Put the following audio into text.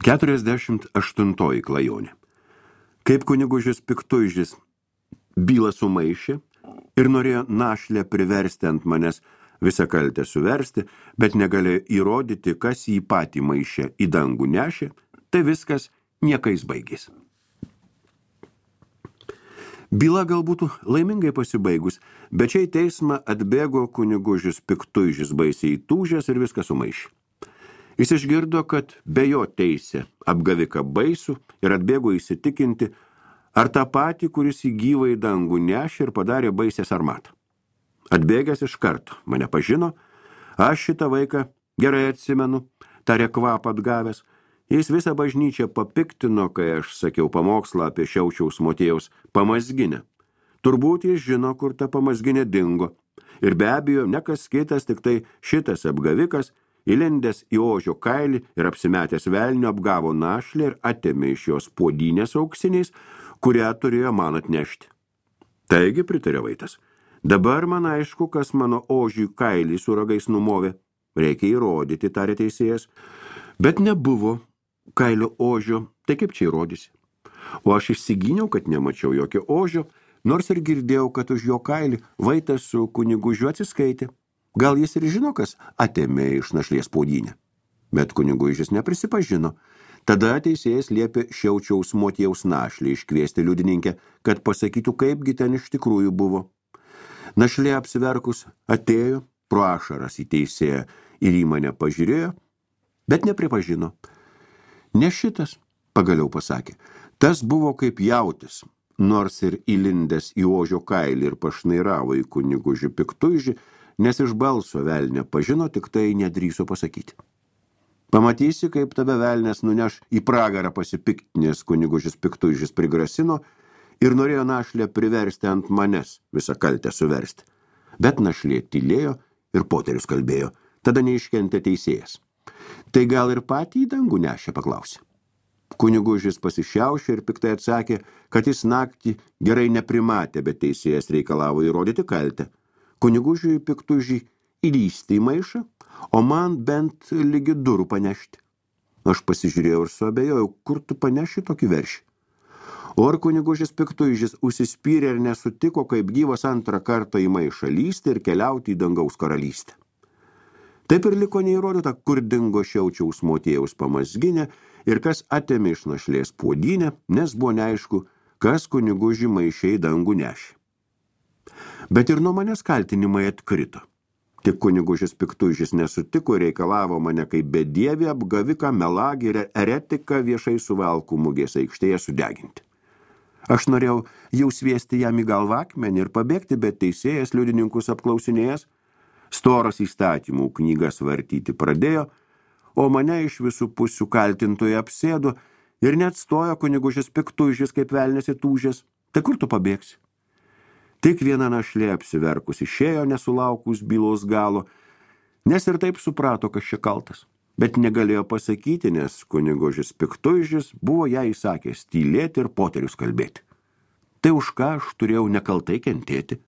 48 klajonė. Kaip kunigužis Piktuižis bylą sumaišė ir norėjo našlę priversti ant manęs visą kaltę suversti, bet negalėjo įrodyti, kas jį patį maišė į dangų nešė, tai viskas niekais baigės. Byla galbūt laimingai pasibaigus, bet čia į teismą atbėgo kunigužis Piktuižis baisiai tūžęs ir viską sumaišė. Jis išgirdo, kad be jo teisė apgaviką baisų ir atbėgo įsitikinti, ar tą patį, kuris į gyvą į dangų nešė ir padarė baisę sarmatą. Atbėgęs iš karto mane pažino, aš šitą vaiką gerai atsimenu, tarė kvapą atgavęs. Jis visą bažnyčią papiktino, kai aš sakiau pamokslą apie Šiaučiaus Motiejaus pamazginę. Turbūt jis žino, kur ta pamazginė dingo. Ir be abejo, ne kas kitas, tik tai šitas apgavikas, įlindęs į ožio kailį ir apsimetęs velnio apgavo našlę ir atėmė iš jos puodynės auksiniais, kurią turėjo man atnešti. Taigi, pritarė Vaitas, dabar man aišku, kas mano ožiui kailį su ragais numovė. Reikia įrodyti, tarė teisėjas. Bet nebuvo kailio ožio, tai kaip čia įrodysi? O aš išsigyniau, kad nemačiau jokio ožio, nors ir girdėjau, kad už jo kailį Vaitas su kunigužiu atsiskaitė. Gal jis ir žino, kas atėmė iš našlės puodynę. Bet kunigužis neprisipažino. Tada teisėjas liepė Šiaučiaus Motiejaus našlį iškviesti liudininkę, kad pasakytų, kaipgi ten iš tikrųjų buvo. Našlė apsiverkus atėjo, pro ašaras į teisėją ir į mane pažiūrėjo, bet nepripažino. Ne šitas, pagaliau pasakė, tas buvo kaip jautis, nors ir įlindęs į ožio kailį ir pašnairavo į kunigužį Piktuižį, nes iš balso velnė pažino, tik tai nedrįso pasakyti. Pamatysi, kaip tave velnės nuneš į pragarą pasipiktinės, kunigužis Piktuižis prigrasino ir norėjo našlę priversti ant manęs visą kaltę suversti. Bet našlė tylėjo ir poterius kalbėjo, tada neiškentė teisėjas. Tai gal ir patį į dangų nešė, paklausė. Kunigužis pasišiaušė ir piktai atsakė, kad jis naktį gerai neprimatė, bet teisėjas reikalavo įrodyti kaltę. Kunigužiui Piktuižį įlįsti į maišą, o man bent lygi durų panešti. Aš pasižiūrėjau ir suabejojau, kur tu paneši tokį veršį. O ar kunigužis Piktuižis užsispyrė ir nesutiko, kaip gyvas antrą kartą į maišą lysti ir keliauti į dangaus karalystę. Taip ir liko neįrodyta, kur dingo Šiaučiaus Motiejaus pamazginė ir kas atėmė iš našlės puodynę, nes buvo neaišku, kas kunigužį maišė į dangų nešė. Bet ir nuo manęs kaltinimai atkrito. Tik kunigužis Piktuižis nesutiko ir reikalavo mane kaip bedievį, apgaviką, melagį ir eretiką viešai Suvalkų mugės aikštėje sudeginti. Aš norėjau jau sviesti jam į galvą akmenį ir pabėgti, bet teisėjas liudininkus apklausinėjęs, storas įstatymų knygas vartyti pradėjo, o mane iš visų pusių kaltintojai apsėdo ir net stojo kunigužis Piktuižis kaip velnės įtūžęs. Tai kur tu pabėgsi? Tik viena našlė apsiverkus išėjo nesulaukus bylos galo, nes ir taip suprato, kas čia kaltas. Bet negalėjo pasakyti, nes kunigužis Piktuižis buvo ją įsakęs tylėti ir poterius kalbėti. Tai už ką aš turėjau nekaltai kentėti?